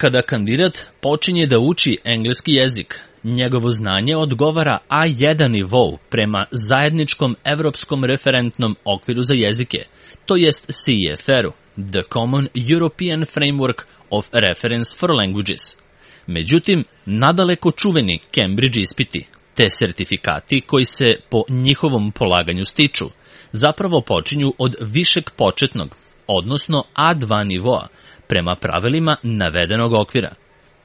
Kada kandidat počinje da uči engleski jezik, njegovo znanje odgovara A1 nivou prema zajedničkom evropskom referentnom okviru za jezike, to jest CEFR-u, The Common European Framework of Reference for Languages. Međutim, nadaleko čuveni Cambridge ispiti, te sertifikati koji se po njihovom polaganju stiču, zapravo počinju od višeg početnog, odnosno A2 nivoa, prema pravilima navedenog okvira.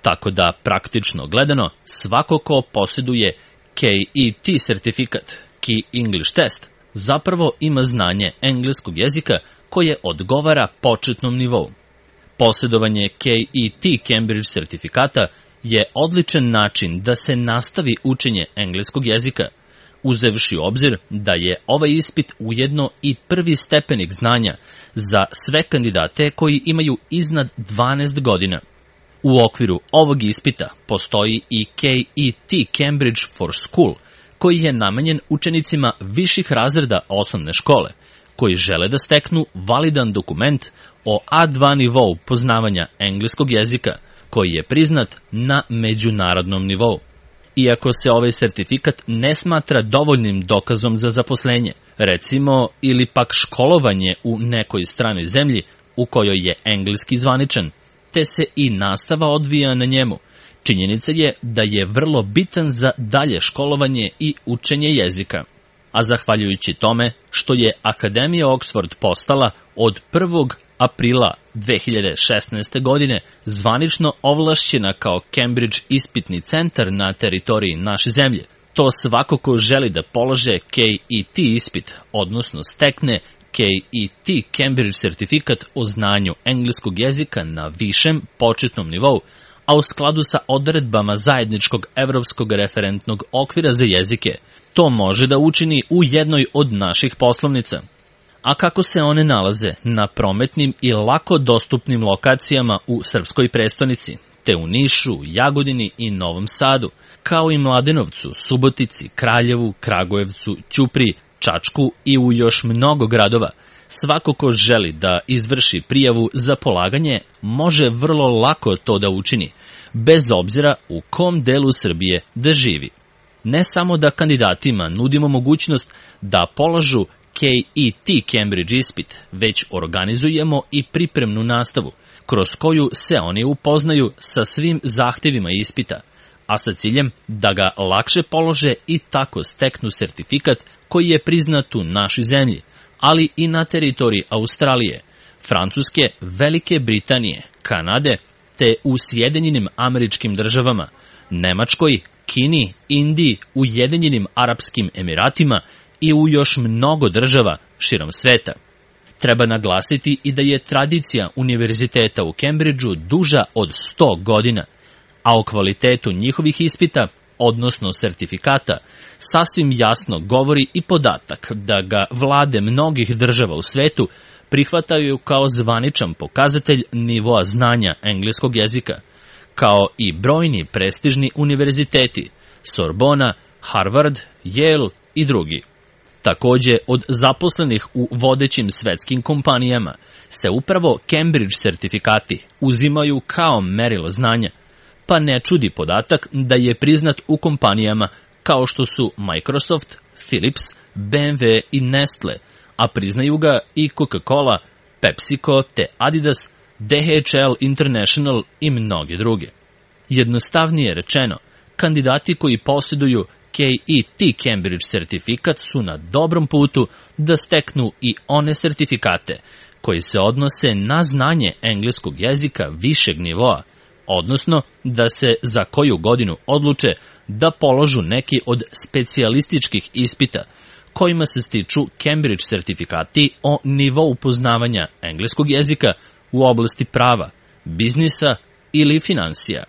Tako da, praktično gledano, svako ko posjeduje KET sertifikat, Key English Test, zapravo ima znanje engleskog jezika koje odgovara početnom nivou. Posjedovanje KET Cambridge sertifikata je odličan način da se nastavi učenje engleskog jezika, uzevši u obzir da je ovaj ispit ujedno i prvi stepenik znanja za sve kandidate koji imaju iznad 12 godina. U okviru ovog ispita postoji i KET Cambridge for School, koji je namenjen učenicima viših razreda osnovne škole, koji žele da steknu validan dokument o A2 nivou poznavanja engleskog jezika, koji je priznat na međunarodnom nivou. Iako se ovaj sertifikat ne smatra dovoljnim dokazom za zaposlenje, recimo ili pak školovanje u nekoj stranoj zemlji u kojoj je engleski zvaničan, te se i nastava odvija na njemu, činjenica je da je vrlo bitan za dalje školovanje i učenje jezika. A zahvaljujući tome što je Akademija Oxford postala od 1. aprila 2016. godine zvanično ovlašćena kao Cambridge ispitni centar na teritoriji naše zemlje, to svako ko želi da polože KET ispit, odnosno stekne KET Cambridge sertifikat o znanju engleskog jezika na višem početnom nivou, a u skladu sa odredbama zajedničkog evropskog referentnog okvira za jezike, to može da učini u jednoj od naših poslovnica. A kako se one nalaze na prometnim i lako dostupnim lokacijama u srpskoj prestonici, te u Nišu, Jagodini i Novom Sadu, kao i Mladenovcu, Subotici, Kraljevu, Kragujevcu, Ćupriji, Čačku i u još mnogo gradova, svako ko želi da izvrši prijavu za polaganje može vrlo lako to da učini, bez obzira u kom delu Srbije da živi. Ne samo da kandidatima nudimo mogućnost da polažu KET Cambridge ispit, već organizujemo i pripremnu nastavu, kroz koju se oni upoznaju sa svim zahtevima ispita, a sa ciljem da ga lakše polože i tako steknu sertifikat koji je priznat u našoj zemlji, ali i na teritoriji Australije, Francuske, Velike Britanije, Kanade, te u Sjedinjenim Američkim Državama, Nemačkoj, Kini, Indiji, Ujedinjenim Arapskim Emiratima i u još mnogo država širom sveta. Treba naglasiti i da je tradicija univerziteta u Cambridgeu duža od 100 godina, a o kvalitetu njihovih ispita, odnosno sertifikata, sasvim jasno govori i podatak da ga vlade mnogih država u svetu prihvataju kao zvaničan pokazatelj nivoa znanja engleskog jezika, kao i brojni prestižni univerziteti, Sorbona, Harvard, Yale i drugi. Takođe, od zaposlenih u vodećim svetskim kompanijama se upravo Cambridge sertifikati uzimaju kao merilo znanja, pa ne čudi podatak da je priznat u kompanijama kao što su Microsoft, Philips, BMW i Nestle, a priznaju ga i Coca-Cola, PepsiCo te Adidas, DHL International i mnoge druge. Jednostavnije rečeno, kandidati koji posjeduju KET Cambridge sertifikat su na dobrom putu da steknu i one sertifikate koji se odnose na znanje engleskog jezika višeg nivoa, odnosno da se za koju godinu odluče da položu neki od specijalističkih ispita kojima se stiču Cambridge sertifikati o nivou poznavanja engleskog jezika u oblasti prava, biznisa ili finansija.